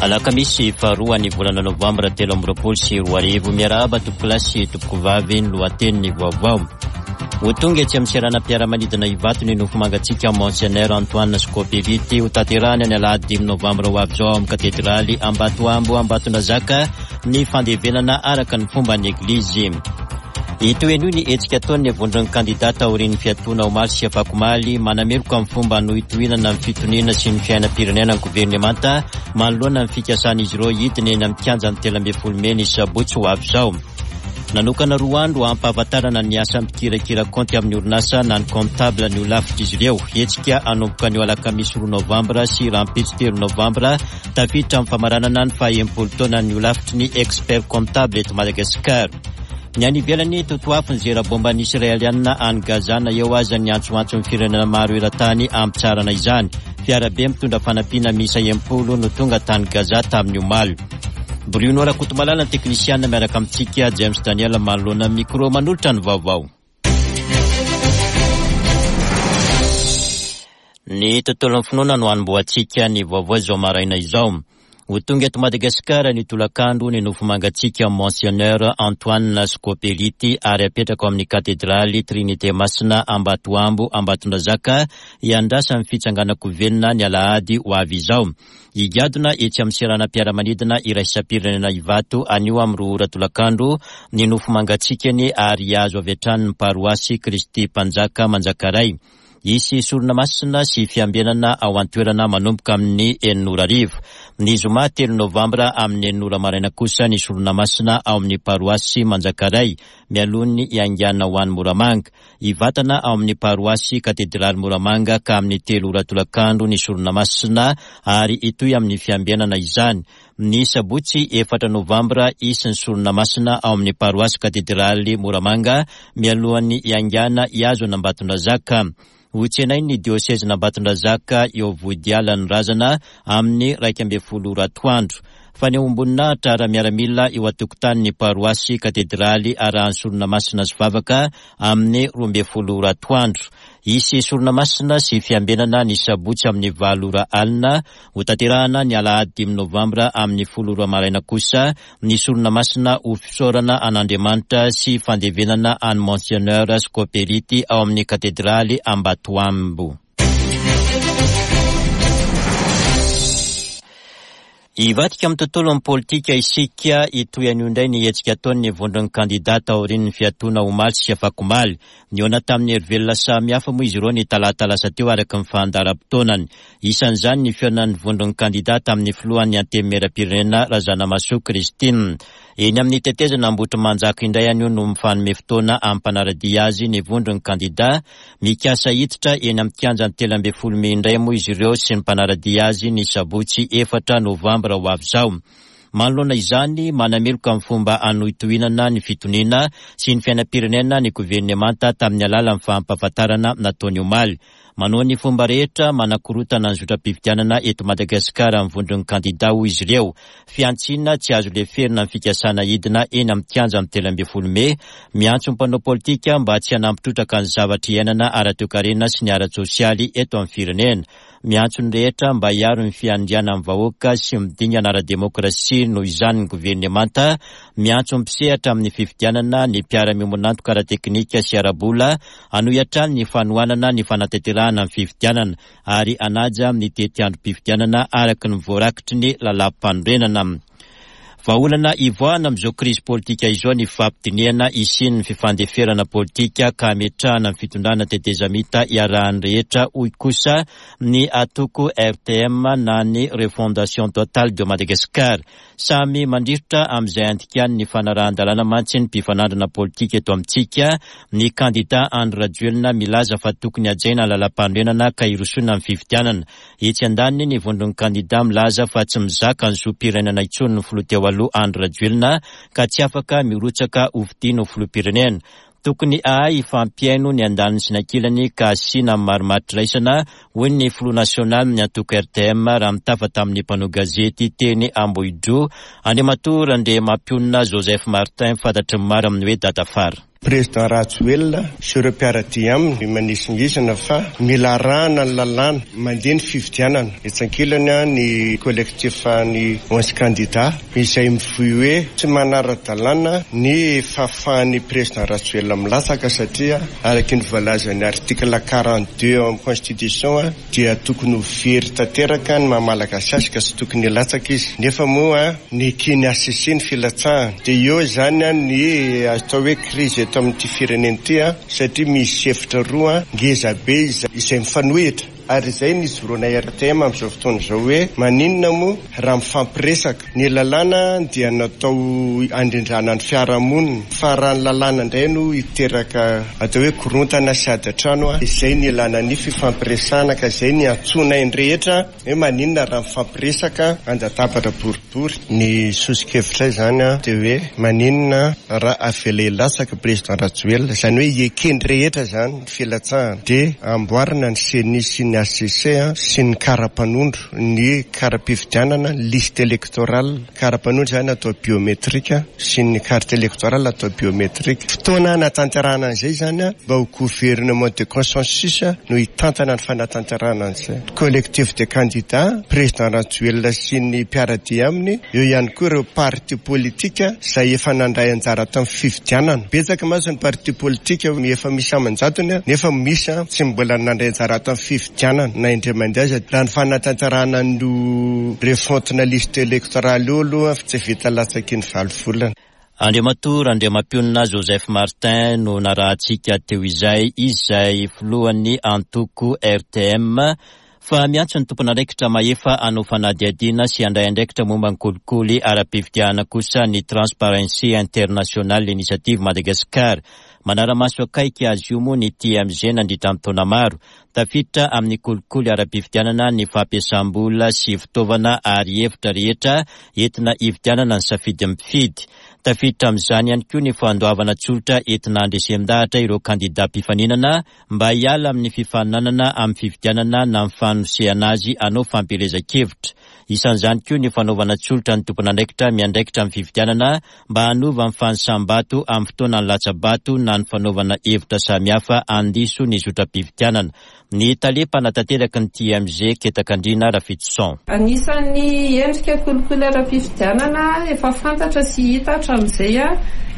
Alakamisy faharoa ny volana novambra 2023. Miarahaba tompokolahy sy tompokovavy ny lohatenin'ny vaovao. Ho tonga etsy amin'ny seranam-piaramanidina Ivato ny nofo mangatsiaka Monseigneur Antoine Scopeliti. Ho tanterahana ny alahady dimy novambra ho avy izao ao amin'ny katedraly Ambatoambo Ambatondrazaka ny fandevenana araka ny fomban'ny Eglizy. Hitohy anio ny hetsika ataon'ny vondron'ny kandidà taorian'ny fiatoana omaly sy afakomaly. Manameloka amin'ny fomba hanohitohinana ny fitoniana sy ny fiainam-pirenena ny governemanta manoloana ny fikasan'izy ireo hidina eny amin'ny kianjan'ny 13 mey ny sabotsy ho avy izao. Nanokana roa andro hampahafantarana ny asan'ny mpikirakira kaonty amin'ny orinasa na ny comptable ny holafitr'izy ireo. Hetsika hanomboka anio alakamisy roa novambra sy rahampitso telo novambra tafiditra amin'ny famaranana ny faha-enimpolo taonan'ny holafitry ny expert comptable eto Madagasikara. Ny any ivelany, totoafo ny zera bomban'ny Israelianina any Gaza na eo aza ny antsoantson'ny firenena maro eran-tany hampitsaharana izany. Fiarabe mitondra fanampiana miisa 60 no tonga tany Gaza tamin'ny omaly. Bruno Rakotomalala ny teknisiana miaraka amintsika, James Daniel manoloana ny micro manolotra ny vaovao. Ny tontolon'ny finoana no hanombohantsika ny vaovao izao maraina izao. Ho tonga eto Madagasikara ny tolakandro ny nofo mangatsiaka Monseigneur Antoine Scopeliti ary hapetraka ao amin'ny Katedraly Trinite Masina Ambatoambo Ambatondrazaka hiandrasan'ny fitsanganan-ko velona ny alahady ho avy izao. Higadona etsy amin'ny seranam-piaramanidina iraisam-pirenena Ivato anio amin'ny roa ora tolakandro ny nofo mangatsiakany ary hihazo avy hatrany ny paroasy Kristy Mpanjaka Manjakaray. Hisy sorona masina sy fiambenana ao an-toerana manomboka amin'ny enina ora hariva. Ny zoma telo novambra amin'ny enina ora maraina kosa ny sorona masina ao amin'ny paroasy Manjakaray mialoha ny hiaingàna ho any Moramanga. Hivatana ao amin'ny paroasy Katedraly Moramanga ka amin'ny telo ora tolakandro ny sorona masina ary hitohy amin'ny fiambenana izany. Ny sabotsy efatra novambra hisy ny sorona masina ao amin'ny paroasy Katedraly Moramanga mialohan'ny hiaingàna hihazo an'Ambatondrazaka. Hotsenain'ny diosezin'Ambatondrazaka eo Vohidiala ny razana amin'ny 11 ora atoandro. Fanehoam-boninahitra ara-miaramila eo an-tokotanin'ny paroasy Katedraly arahan'ny sorona masina sy vavaka amin'ny 12 ora atoandro. Hisy sorona masina sy fiambenana ny sabotsy amin'ny valo ora alina. Hotanterahana ny alahady dimy novambra amin'ny folo ora maraina kosa ny sorona masina ho fisaorana an'Andriamanitra sy fandevenana an'i Monseigneur Scopeliti ao amin'ny Katedraly Ambatoambo. Hivadika amin'ny tontolon'ny politika isika, hitohy anio indray ny hetsika ataon'ny vondron'ny kandidà taorian'ny fiatoana omaly sy afakomaly. Nihaona tamin'ny herivelona samihafa moa izy ireo ny talata lasa teo araka ny fandaharam-potoanany. Isan'izany ny fihaonan'ny vondron'ny kandidà tamin'ny filohan'ny Antenimierampirenena Razanamahasoa Christine. Eny amin'ny tetezana Ambohitrimanjaka indray anio no mifanome fotoana amin'ny mpanara-dia azy ny vondron'ny kandidà. Mikasa hiditra eny amin'ny kianjan'ny 13 mey indray moa izy ireo sy ny mpanara-dia azy ny sabotsy efatra novambra ho avy izao. Manoloana izany, manameloka ny fomba hanohitohinana ny fitoniana sy ny fiainam-pirenena ny governemanta tamin'ny alalan'ny fampahafantarana nataony omaly. Manao ny fomba rehetra manakorotana ny zotram-pifidianana eto Madagasikara ny vondron'ny kandidà, hoy izy ireo. Fihantsiana tsy azo leferina ny fikasana hidina eny amin'ny kianjan'ny 13 mey. Miantso ny mpanao politika mba tsy hanampy trotraka ny zavatra iainana ara-toekarena sy ny ara-tsosialy eto amin'ny firenena. Miantso ny rehetra mba hiaro ny fiandrianan'ny vahoaka sy ny dingana ara-demokrasia noho izany ny governemanta. Miantso ny mpisehatra amin'ny fifidianana, ny mpiara-miombon'antoka ara-teknika sy ara-bola hanohy hatrany ny fanohanana ny fanatanterahana ny fifidianana ary hanaja ny tetiandrom-pifidianana araka ny voarakitry ny lalàmpanorenana. Vahaolana hivoahana amin'izao krizy politika izao ny fifampidinihana hisian'ny fifandeferana politika ka hametrahana ny fitondrana tetezamita iarahan'ny rehetra, hoy kosa ny atoko RTM na ny Refondation Totale de Madagascar. Samy mandrirotra amin'izay andikany ny fanarahan-dalàna mantsy ny mpifanandrina politika eto amintsika, ny kandida Andry Rajoelina milaza fa tokony hajaina ny lalàmpanorenana ka hirosoana amin'ny fifidianana. Etsy andaniny, ny vondron'ny kandida milaza fa tsy mizaka ny zom-pirenena intsony ny filoha teo aloha Andry Rajoelina ka tsy afaka mirotsaka hofidiana ho filoham-pirenena. Tokony hahay hifampihaino ny andaniny sy ny ankilany ka asiana marimaritra-iraisana, hoy ny filoha nasionalin'ny antoko RTM raha nitafa tamin'ny mpanao gazety teny Ambohidroa, Andriamatoa Randriamampionona Joseph Martin, fantatry ny maro amin'ny hoe Dadafara. Président Rajoelina sy ireo mpiara-dia aminy manisingizina fa mila arahana ny lalàna mandeha ny fifidianana. Etsy ankilany ny collectif ny 11 candidats izay mivoy hoe tsy manara-dalàna ny fahafahan'ny Président Rajoelina milatsaka satria araka ny voalazan'ny article 42 ao amin'ny constitution dia tokony ho very tanteraka ny maha Malagasy azy ka tsy tokony hilatsaka izy. Nefa moa neken'ny HCC ny filatsahana. Dia eo izany ny atao hoe crise eto amin'ity firenena ity satria misy hevitra roa ngeza be izay mifanohitra. Ary izay no ijoroana RTM amin'izao fotoana izao hoe maninona moa raha mifampiresaka. Ny lalàna dia natao handrindrana ny fiarahamonina fa raha ny lalàna indray no hiteraka atao hoe korontana sy ady an-trano, izay no ilana ny fifampiresahana ka izay no iantsoanay ny rehetra hoe maninona raha mifampiresaka an-databatra boribory. Ny soso-kevitray izany dia hoe maninona raha avela hilatsaka Président Rajoelina, izany hoe eken'ny rehetra izany ny filatsahana, dia amboarina ny Ceni sy ny HCC sy ny kara-panondro, ny kara-pifidianana, ny liste électorale, kara-panondro izany atao biométrique sy ny carte électorale atao biométrique. Fotoana hanatanterahana an'izay izany mba ho gouvernement de consensus no hitantana ny fanatanterahana an'izay. Collectif de candidats, Président Rajoelina sy ny mpiara-dia aminy, eo ihany koa ireo parti politique izay efa nandray anjara tamin'ny fifidianana. Betsaka mantsy ny parti politique efa misy aman-jatony nefa misy tsy mbola nandray anjara tamin'ny fifidianana na indray mandeha aza. Raha ny fanatanterahana an'io refonte-na liste électorale io aloha tsy vita latsaky ny 8 volana. Andriamatoa Randriamampionona Joseph Martin no narahantsika teo izay, izay filohan'ny antoko RTM, fa miantso ny tompon'andraikitra mahefa hanao fanadihadiana sy handray andraikitra momba ny kolikoly ara-pifidianana kosa ny Transparency International Initiative Madagascar. Manara-maso akaiky azy io moa ny TMG nandritra ny taona maro. Tafiditra amin'ny kolikoly ara-pifidianana ny fampiasam-bola sy fitaovana ary hevitra rehetra entina hividianana ny safidin'ny mpifidy. Tafiditra amin'izany ihany koa ny fandoavana tsolotra entina handresen-dahatra ireo kandidà mpifaninana mba hiala amin'ny fifaninanana amin'ny fifidianana na ny fanosehana azy hanao fampielezan-kevitra. Isan'izany koa ny fanaovana tsolotra ny tompon'andraikitra miandraikitra amin'ny fifidianana mba hanova ny fanisam-bato amin'ny fotoanan'ny latsa-bato na ny fanaovana hevitra samihafa handiso ny zotram-pifidianana. Ny tale mpanatanteraka ny TMG Ketakandriana Rafitoson. Anisan'ny endrika kolikoly ara-pifidianana efa fantatra sy hita hatramin'izay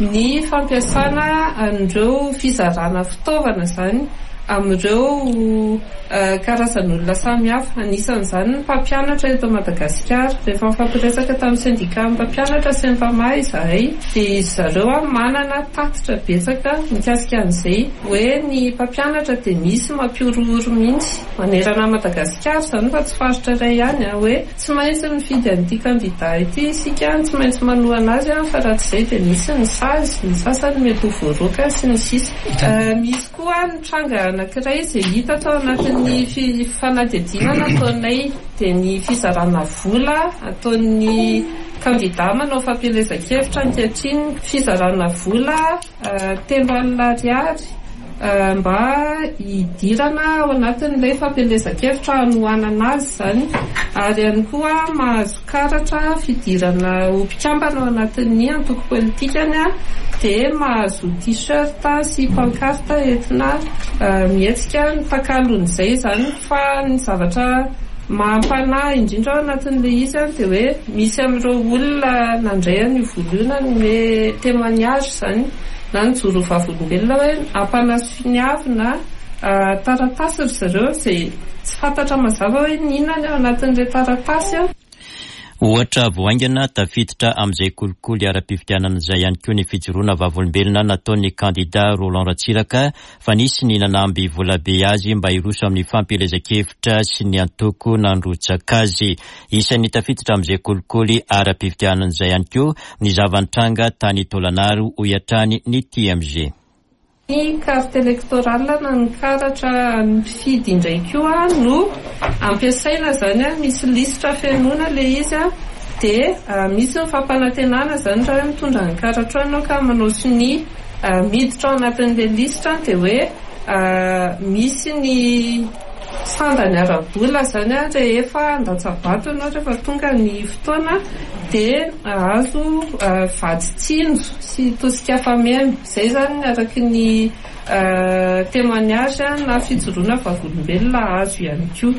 ny fampiasana an'ireo fizarana fitaovana izany amin'ireo karazan'olona samihafa. Anisan'izany ny mpampianatra eto Madagasikara. Rehefa nifampiresaka tamin'ny sendikan'ny mpampianatra Sempama izahay dia izy zareo manana tatitra betsaka mikasika an'izay hoe ny mpampianatra dia misy mampihorohoro mihitsy manerana an'i Madagasikara izany fa tsy faritra iray ihany hoe tsy maintsy mifidy an'ity kandida ity isika, tsy maintsy manohana azy fa raha tsy izay dia misy ny sazy, ny sasany mety ho voaroaka sy ny sisa. Misy koa ny tranga anankiray izay hita tao anatin'ny fanadihadiana nataonay dia ny fizarana vola ataon'ny kandida manao fampielezan-kevitra ankehitriny, fizarana vola 30 000 ariary mba hidirana ao anatin'ilay fampielezan-kevitra hanohanana azy izany, ary ihany koa mahazo karatra fidirana ho mpikambana ao anatin'ny antoko politikany dia mahazo t-shirt sy pancarte entina mihetsika ny takalon'izay izany. Fa ny zavatra mampanahy indrindra ao anatin'ilay izy dia hoe misy amin'ireo olona nandray an'io vola io nanome témoignage izany na nijoro ho vavolombelona hoe ampanasoniavina taratasy ry zareo izay tsy fantatra mazava hoe inona ny ao anatin'ilay taratasy. Ohatra vao haingana, tafiditra amin'izay kolikoly ara-pifidianana izay ihany koa ny fijoroana vavolombelona nataon'ny kandida Roland Ratsiraka fa nisy ny nanamby volabe azy mba hiroso amin'ny fampielezan-kevitra sy ny antoko nandrotsaka azy. Isan'ny tafiditra amin'izay kolikoly ara-pifidianana izay ihany koa ny zava-nitranga tany Taolagnaro, hoy hatrany ny TMG. Ny carte électorale na ny karatra an'ny mpifidy indray koa no ampiasaina izany, misy lisitra fenoina ilay izy dia misy ny fampanantenana izany raha hoe mitondra ny karatrao ianao ka manao sonia miditra ao anatin'ilay lisitra dia hoe misy ny. Sandany ara-bola izany rehefa handatsa-bato ianao, rehefa tonga ny fotoana dia hahazo vatsy tsinjo sy tosika fameno. Izay izany araky ny témoignage na fijoroana vavolombelona azo ihany koa.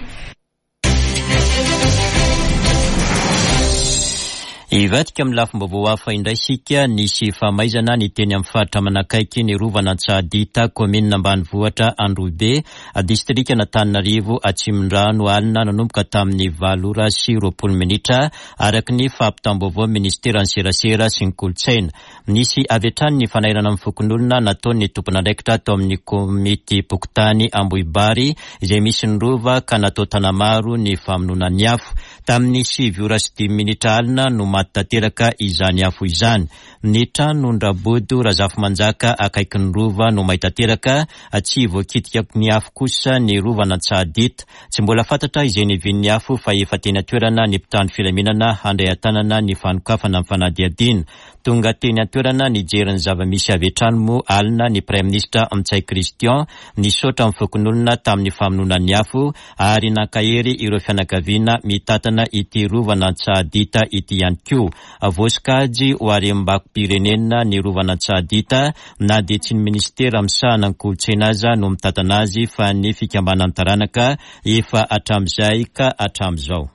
Hivadika amin'ny lafim-baovao hafa indray isika, nisy famaizana ny teny amin'ny faritra manakaiky ny rovan'Antsahadinta, kaominina ambanivohitra Androhibe, distrikan'Antananarivo Atsimondrano alina nanomboka tamin'ny valo ora sy 20 minitra, araka ny fampitam-baovaon'ny minisiteran'ny serasera sy ny kolontsaina. Nisy avy hatrany ny fanairana ny fokonolona nataon'ny tompon'andraikitra tao amin'ny komitim-pokontany Ambohibary izay misy ny rova ka natao tanamaro ny famonoana ny afo. Tamin'ny sivy ora sy dimy minitra alina no maty tanteraka izany afo izany. Ny tranon-dRabodo Razafimanjaka akaikin'ny rova no may tanteraka, tsy voakitika ny afo kosa ny rovan'Antsahadita. Tsy mbola fantatra izay niavian'ny afo fa efa teny an-toerana ny mpitandro filaminana handray an-tanana ny fanokafana ny fanadihadiana. Tonga teny an-toerana nijery ny zava-misy avy hatrany moa alina ny Praiminisitra Ntsay Christian, nisaotra ny fokonolona tamin'ny famonoana ny afo ary nankahery ireo fianakaviana mitantana ity rovan'Antsahadita ity ihany koa. Voasokajy ho harem-bako-pirenena ny rovan'Antsahadita na dia tsy ny minisitera misahana ny kolontsaina aza no mitantana azy fa ny fikambanan'ny taranaka efa hatramin'izay ka hatramin'izao.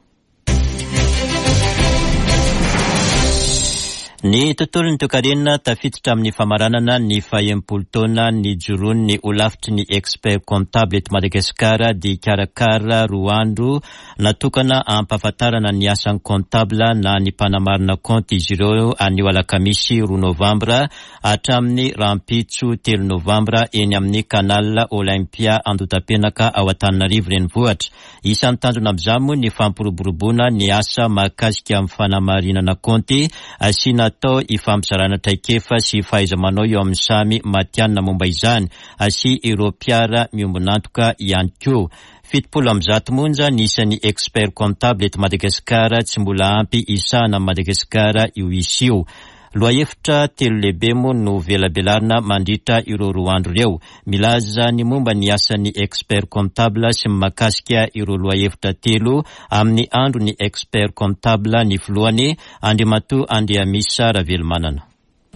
Ny tontolon'ny toekarena tafiditra amin'ny famaranana ny faha-enimpolo taona nijoroan'ny holafitry ny expert comptable eto Madagasikara dia hikarakara roa andro natokana hampahafantarana ny asan'ny comptable na ny mpanamarina kaonty izy ireo anio alakamisy roa novambra hatramin'ny rahampitso telo novambra eny amin'ny Canal Olympia Andotapenaka ao Antananarivo Renivohitra. Isan'ny tanjona amin'izany moa ny fampiroboroboana ny asa mahakasika amin'ny fanamarinana kaonty sy natao hifampizarana traikefa sy fahaiza-manao eo amin'ny samy matihanina momba izany sy ireo mpiara-miombon'antoka ihany koa. 170 monja ny isan'ny expert comptable eto Madagasikara, tsy mbola ampy hisahana an'i Madagasikara io isa io. Lohahevitra telo lehibe moa no velabelarina mandritra ireo roa andro ireo. Milaza ny momba ny asan'ny expert comptable sy ny mahakasika ireo lohahevitra telo amin'ny andron'ny expert comptable ny filohany, Andriamatoa Andriamisa Ravelomanana.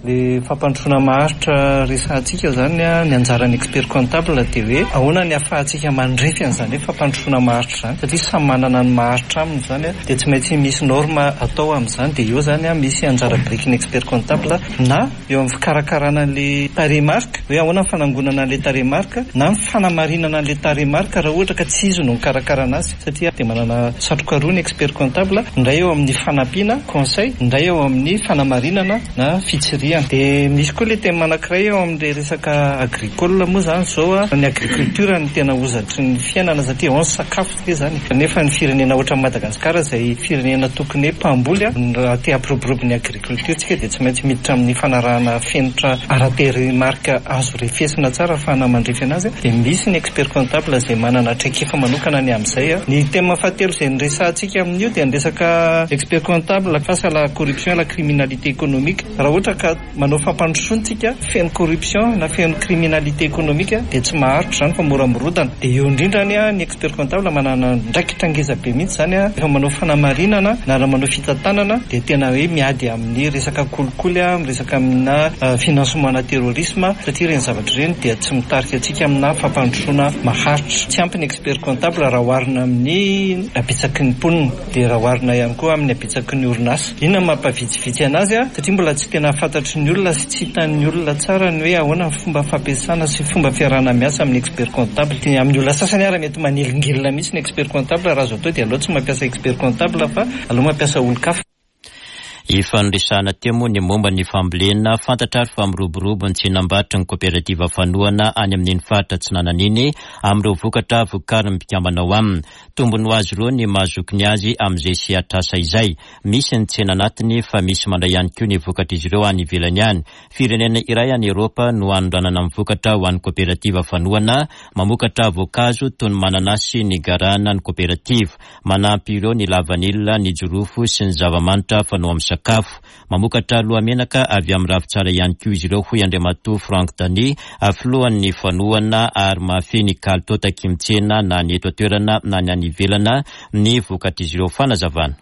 Le fampandrosoana maharitra resahantsika zany, ny anjaran'ny expert comptable dia hoe ahoana ny ahafahantsika mandrefy an'izany hoe fampandrosoana maharitra izany satria samy manana ny maharitra aminy izany dia tsy maintsy misy norme atao amin'izany dia eo zany misy anjara birikin'ny expert comptable na eo amin'ny fikarakarana an'le tarehimarika hoe ahoana ny fanangonana an'le tarehimarika na ny fanamarinana an'le tarehimarika raha ohatra ka tsy izy no mikarakara anazy satria dia manana satroka roa ny expert comptable, ny iray eo amin'ny fanampiana, conseil, ny iray eo amin'ny fanamarinana na fitsirihana. Dia misy koa ilay thème anankiray eo amin'ilay resaka agricole moa izany izao, ny agriculture no tena hozatry ny fiainana satria ao ny sakafo ve izany e. Nefa ny firenena ohatran'i Madagasikara izay firenena tokony hoe mpamboly, raha te hampiroborobo ny agriculture tsika dia tsy maintsy miditra amin'ny fanarahana fenitra ara-tarehimarika azo refesina tsara ahafahana mandrefy anazy. Dia misy ny expert comptable izay manana traikefa manokana ny amin'izay. Ny thème fahatelo izay niresahantsika amin'io dia ny resaka expert comptable face à la corruption et la criminalité économique. Raha ohatra ka manao fampandrosoana tsika feno corruption na feno criminalité économique dia tsy maharitra izany fa mora mirodana. Dia eo indrindra ny expert comptable manana andraikitra ngeza be mihitsy izany rehefa manao fanamarinana na raha manao fitantanana dia tena hoe miady amin'ny resaka kolikoly, miresaka amina financement na terrorisme satria ireny zavatra ireny dia tsy mitarika antsika amina fampandrosoana maharitra. Tsy ampy ny expert comptable raha oharina amin'ny habetsaky ny mponina dia raha oharina ihany koa amin'ny habetsaky ny orinasa. Inona no mampavitsivitsy anazy? Satria mbola tsy tena fantatry ny olona sy tsy hitan'ny olona tsara ny hoe ahoana ny fomba fampiasana sy fomba fiarahana miasa amin'ny expert comptable. Amin'ny olona sasany ara mety manelingelina mihitsy ny expert comptable, raha azo atao dia aleo tsy mampiasa expert comptable fa aleo mampiasa olon-kafa. Efa noresahana teo moa ny momba ny fambolena, fantatra ary fa miroborobo ny tsenam-barotry ny koperativa fanohana any amin'iny faritra Atsinanana iny amin'ireo vokatra vokarin'ny mpikambana ao aminy. Tombony ho azy ireo ny maha zokiny azy amin'izay sehatr'asa izay. Misy ny tsena anatiny fa misy mandray ihany koa ny vokatr'izy ireo any ivelany any. Firenena iray any Eropa no anondranana ny vokatra ho an'ny koperativa fanohana mamokatra voankazo toy ny mananasy, ny garana, ny koperativa. Manampy ireo ny lavanila, ny jirofo sy ny zava-manitra fanao amin'ny sakafo. sakafo. Mamokatra lohamenaka avy amin'ny ravintsara ihany koa izy ireo, hoy Andriamatoa Franck Dany, filohan'ny fanohana ary mahafehy ny kalitao takian'ny tsena na ny eto an-toerana na ny any ivelana ny vokatr'izy ireo. Fanazavana.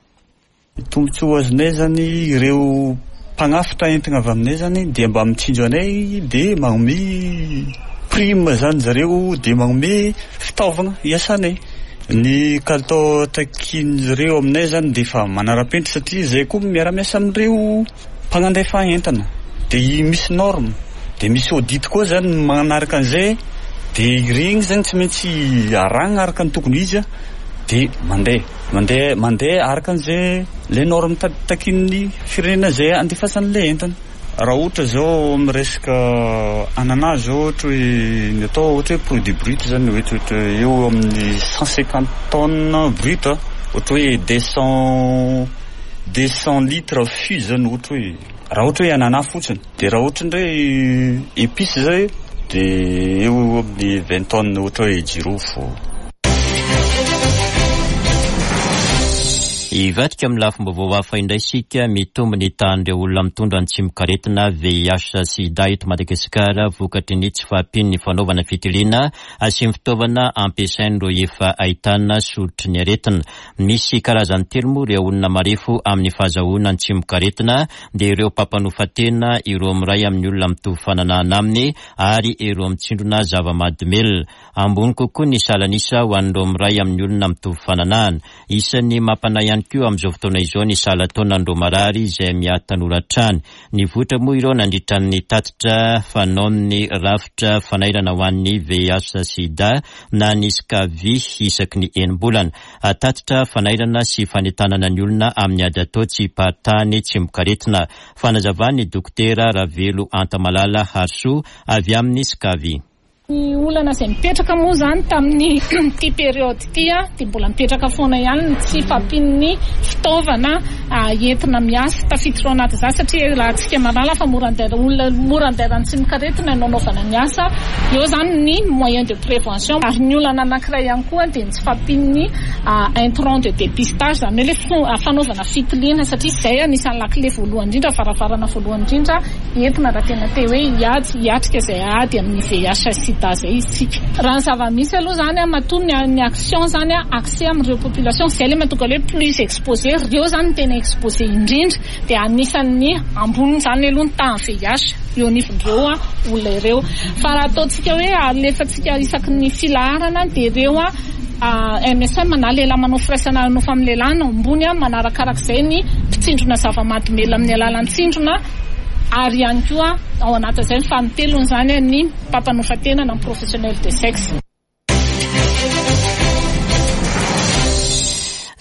Ny tombontsoa azonay zany ireo mpagnafitra entigna avy aminay zany dia mba mitsinjo anay dia magnome prime zany zareo dia magnome fitaovagna hiasanay. Ny kalitao takian'ireo aminay zany dia efa manara-penitra satria zay koa miara-miasa amin'ireo mpagnandefa entana dia misy norme dia misy audit koa zany manaraka an'izay dia iregny zany tsy maintsy arahagna araka ny tokony ho izy dia mandeha. Mandeha mandeha araka an'izay le norme takian'ny firenena izay andefasany le entana. Raha ohatra zao amin'ny resaka anana zao ohatra hoe ny atao ohatra hoe produit brut zany ohatra ohatra eo amin'ny 150 tonnes brut ohatra hoe 200 200 litres fût zany ohatra hoe raha ohatra hoe anana fotsiny. Dia raha ohatra indray épices zay dia eo amin'ny 20 tonnes ohatra hoe jirofo. Hivadika amin'ny lafim-baovao hafa indray isika, mitombo ny tahan'ireo olona mitondra ny tsimokaretina VIH sida eto Madagasikara vokatry ny tsy fahampian'ny fanaovana fitiliana sy ny fitaovana ampiasain'ireo efa ahitana soritry ny aretina. Misy karazany telo moa ireo olona marefo amin'ny fahazahoana ny tsimokaretina dia ireo mpampanofa tena, ireo miray amin'ny olona mitovy fananahana aminy ary ireo mitsindrona zava-mahadomelina. Ambony kokoa ny salan'isa ho an'ireo miray amin'ny olona mitovy fananahana. Isan'ny mampanahy ihany koa amin'izao fotoana izao ny salan-taonan'ireo marary izay miha-tanora hatrany. Nivoitra moa ireo nandritra ny tatitra fanaon'ny rafitra fanairana ho an'ny VIH-Sida na ny Scavi isaky ny enim-bolana. Tatitra fanairana sy fanentanana ny olona amin'ny ady atao tsy hiparitahan'ny tsimokaretina. Fanazavan'ny Dokotera Ravelo Antamalala Harisoa avy amin'ny Scavi. Ny olana izay mipetraka moa izany tamin'ity période ity dia mbola mipetraka foana ihany ny tsy fahampian'ny fitaovana entina miasa. Tafiditra ao anatin'izany satria iarahantsika mahalala fa mora andaira olona mora andairan'ny tsimokaretina no anaovana ny asa. Eo izany ny moyen de prévention ary ny olana anankiray ihany koa dia ny tsy fahampian'ny intrant de dépistage izany hoe ilay fanaovana fitiliana satria izay anisan'ny lakile voalohany indrindra, varavarana voalohany indrindra entina raha tena te hoe hiady, hiatrika izay ady amin'ny VIH sida izay isika. Raha ny zava-misy aloha izany matoa ny ny action izany axée amin'ireo population, izay ilay mahatonga hoe plus exposé, ireo izany no tena exposé indrindra dia anisan'ny ambony izany aloha ny tahan'ny VIH eo anivon'ireo olona ireo. Fa raha ataontsika hoe alefantsika isaky ny filaharana dia ireo MSM na lehilahy manao firaisana ara-nofo amin'ny lehilahy no ambony, manarakarak'izay ny mpitsindrona zava-mahadomelina amin'ny alalan'ny tsindrona ary ihany koa ao anatin'izay ny fanintelony izany ny mpampanofa tena na ny professionnel de sexe.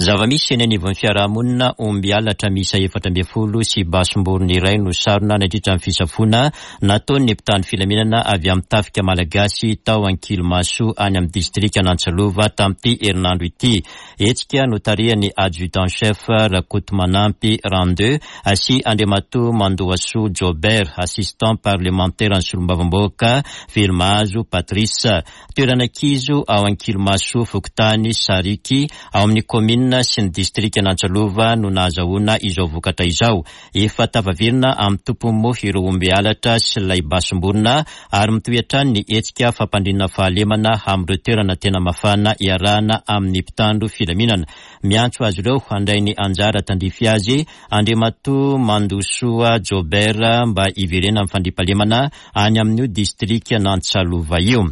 Zava-misy eny anivon'ny fiarahamonina, omby halatra miisa 14 sy basim-borona iray no sarona nandritra ny fisafoana nataon'ny mpitandro filaminana avy amin'ny tafika malagasy tao Ankilimaso any amin'ny distrikan'Antsalova tamin'ity herinandro ity. Hetsika notarihan'ny Adjudant Chef Rakotomanampy Randeux sy Andriamatoa Mandohasoa Jobert, Assistant Parlemantera ny Solombavambahoaka Velomahazo Patrice. Toerana kizo ao Ankilimaso, fokontany Sariky, ao amin'ny kaominina sy ny distrikan'Antsalova no nahazahoana izao vokatra izao. Efa tafaverina amin'ny tompony moa ireo omby halatra sy ilay basim-borona ary mitohy hatrany ny hetsika fampandriana fahalemana amin'ireo toerana tena mafana iarahana amin'ny mpitandro filaminana. Miantso azy ireo handray ny anjara tandrify azy Andriamatoa Mandosoa Jobert mba hiverenan'ny fandriampahalemana any amin'io distrikan'Antsalova io.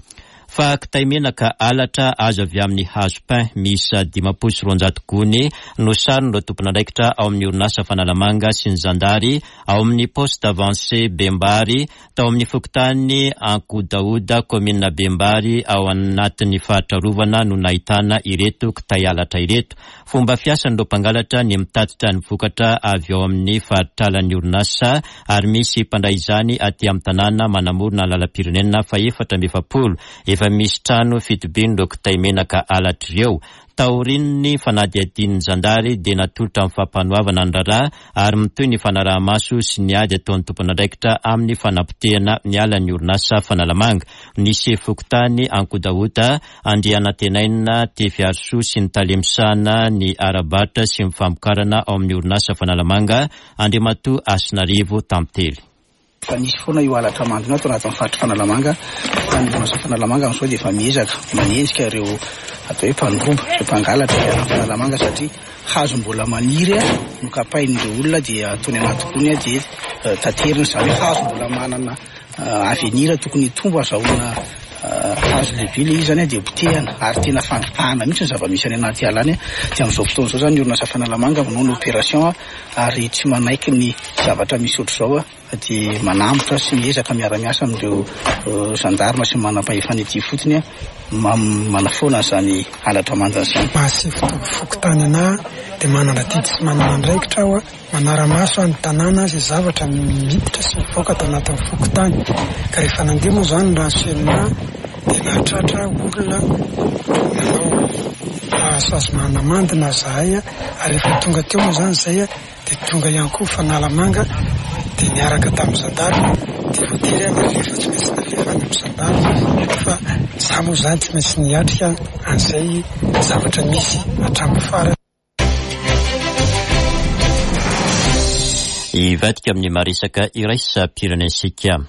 Fa kitay menaka halatra azo avy amin'ny hazo pin miisa 250 gony no saron'ireo tompon'andraikitra ao amin'ny orinasa Fanalamanga sy ny zandary ao amin'ny Poste Avancé Bembary tao amin'ny fokontany Ankodahoda, kaominina Bembary ao anatin'ny faritra arovana no nahitana ireto kitay halatra ireto. Fomba fiasan'ireo mpangalatra ny mitatitra ny vokatra avy ao amin'ny faritralan'ny orinasa ary misy mpandray izany aty amin'ny tanàna manamorona ny lalam-pirenena fahefatra amby 40. Efa misy trano fitobian'ireo kitay menaka halatra ireo. Taorian'ny fanadihadian'ny zandary dia natolotra ny fampanoavana ny raharaha ary mitohy ny fanaraha-maso sy ny ady ataon'ny tompon'andraikitra amin'ny fanapotehana ny alan'ny orinasa Fanalamanga. Ny sefo fokontany Ankodahota, Andrianantenaina Tefiarisoa sy ny tale misahana ny ara-barotra sy ny famokarana ao amin'ny orinasa Fanalamanga, Andriamatoa Hasinarivo Tantely. Efa nisy foana io halatra mandona ato anatin'ny faritry Fanalamanga fa ny orinasa Fanalamanga amin'izao dia efa miezaka manenjika ireo atao hoe mpandroba, ireo mpangalatra ety anaty Fanalamanga satria hazo mbola maniry no kapain'ireo olona dia ataony anaty gony dia taterina, izany hoe hazo mbola manana avenir tokony hitombo azahoana hazo lehibe ilay izy izany dia potehana ary tena fandripahana mihitsy ny zava-misy any anaty ala any dia amin'izao fotoana izao izany ny orinasa Fanalamanga manao ny opération ary tsy manaiky ny zavatra misy ohatr'izao dia manambotra sy miezaka miara-miasa amin'ireo gendarme sy ny manam-pahefana ety ifotony manafoana an'izany halatra manja izany. Maha sefo fokontany anah dia manana adidy sy manana andraikitra aho manara-maso ny tanàna izay zavatra miditra sy mivoaka ato anatin'ny fokontany ka rehefa nandeha moa izany ny renseignement dia nahatratra olona nanao sazy manamandina zahay Ary rehefa tonga teo moa izany izay dia tonga ihany koa Fanalamanga dia niaraka tamin'ny zandary dia voatery aho nalefa, tsy maintsy nalefa any amin'ny zandary fa za moa izany tsy maintsy niatrika an'izay zavatra misy hatramin'ny farany. Hivadika amin'ny maha-resaka iraisam-pirenena isika.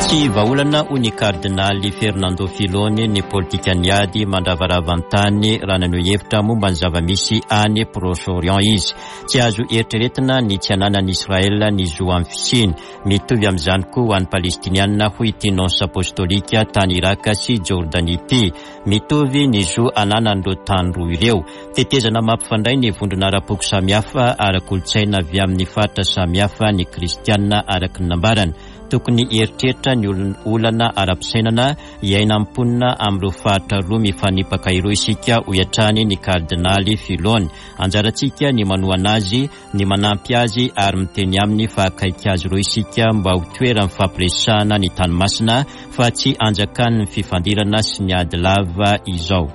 Tsy vahaolana hoy ny kardinaly Fernando Filoni ny politikan'ny ady mandravarava ny tany raha naneho hevitra momba ny zava-misy any Proche-Orient izy. Tsy azo eritreretina ny tsy hananan'i Israel ny zo amin'ny fisiany. Mitovy amin'izany koa ho an'ny Palestiniana hoy ity nonce apostolika tany Irak sy Jordanie ity. Mitovy ny zo ananan'ireo tany roa ireo. Tetezana mampifandray ny vondrona ara-poko samihafa, ara-kolontsaina avy amin'ny faritra samihafa ny Kristiana araka ny nambarany. Tokony hieritreritra ny olana ara-pisainana iainan'ny mponina amin'ireo faritra roa mifanipaka ireo isika, hoy hatrany ny Kardinaly Filoni. Anjarantsika ny manohana azy, ny manampy azy ary miteny aminy fa akaiky azy ireo isika mba ho toeran'ny fampiresahana ny tany masina fa tsy anjakan'ny fifandirana sy ny ady lava izao.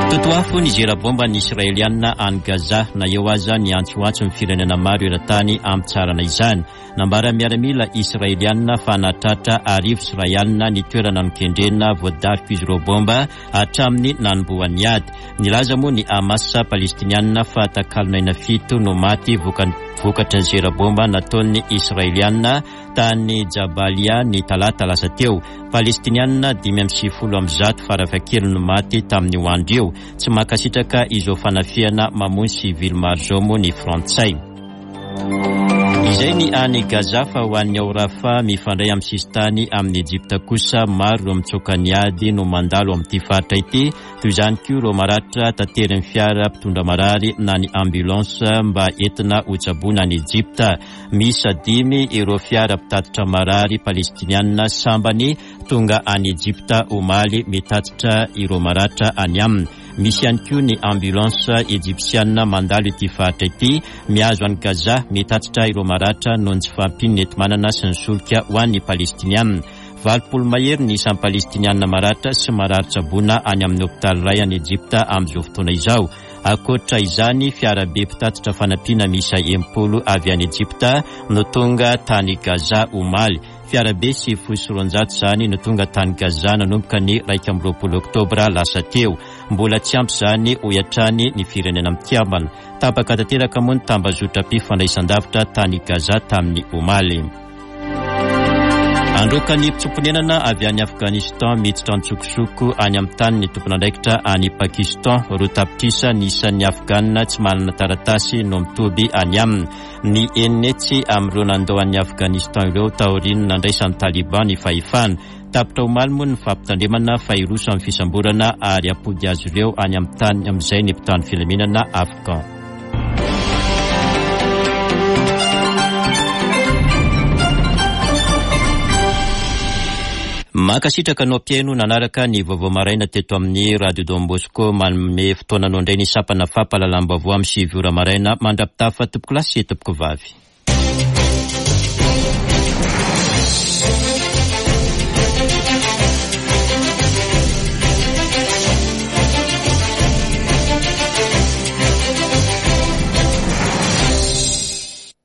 Totoafo ny zera bomba ny Israelianina any Gaza na eo aza ny antsoantson'ny firenena maro eran-tany hampitsaharana izany. Nambaran'ny miaramila Israelianina fa nahatratra 1100 ny toerana nokendrena voadarik'izy ireo bomba hatramin'ny nanombohan'ny ady. Nilaza moa ny Hamas Palestiniana fa takalon'aina fito no maty vokatry ny zera bomba nataon'ny Israeliana tany Jabalia ny talata lasa teo. Palestiniana 195 farafahakeliny no maty tamin'io andro io. Tsy mankasitraka izao fanafihana mamono sivily maro izao moa ny Frantsay. Izay ny any Gaza fa ho an'ny ao Rafah mifandray amin'ny sisintany amin'i Ejipta kosa, maro ireo mitsoaka ny ady no mandalo amin'ity faritra ity, toy izany koa ireo maratra taterin'ny fiara mpitondra marary na ny ambulance mba entina hotsaboina any Ejipta. Miisa dimy ireo fiara mpitatitra marary palestiniana sambany tonga any Ejipta omaly mitatitra ireo maratra any aminy. Misy ihany koa ny ambulance ejipsiana mandalo ity faritra ity, mihazo an'i Gaza, mitatitra ireo maratra noho ny tsy fahampian'ny enti-manana sy ny solika ho an'ny Palestiniana. 80 mahery ny isan'ny Palestiniana maratra sy marary tsaboina any amin'ny hopitaly iray any Ejipta amin'izao fotoana izao. Ankoatra izany, fiarabe mpitatitra fanampiana miisa 60 avy any Ejipta no tonga tany Gaza omaly. Fiarabe 290 izany no tonga tany Gaza nanomboka ny 21 oktobra lasa teo. Mbola tsy ampy izany, hoy hatrany ny Firenena Mikambana. Tapaka tanteraka moa ny tambazotram-pifandraisandavitra tany Gaza tamin'ny omaly. Handroaka ny mpitsoa-ponenana avy any Afghanistan miditra an-tsokosoko any amin'ny tany ny tompon'andraikitra any Pakistan. Roa tapitrisa ny isan'ny Afghan tsy manana taratasy no mitoby any aminy. Ny enina hetsy amin'ireo nandao an'i Afghanistan ireo taorian'ny nandraisan'ny Taliban ny fahefana. Tapitra omaly moa ny fampitandremana fa hiroso amin'ny fisamborana ary hampody azy ireo any amin'ny tany amin'izay ny mpitandro filaminana Afghan. Mankasitraka anao mpihaino nanaraka ny vaovao maraina teto amin'ny Radio Don Bosco. Manome fotoana anao indray ny sampana fampahalalam-baovao amin'ny sivy ora maraina. Mandra-pitafa tompokolahy sy tompokovavy.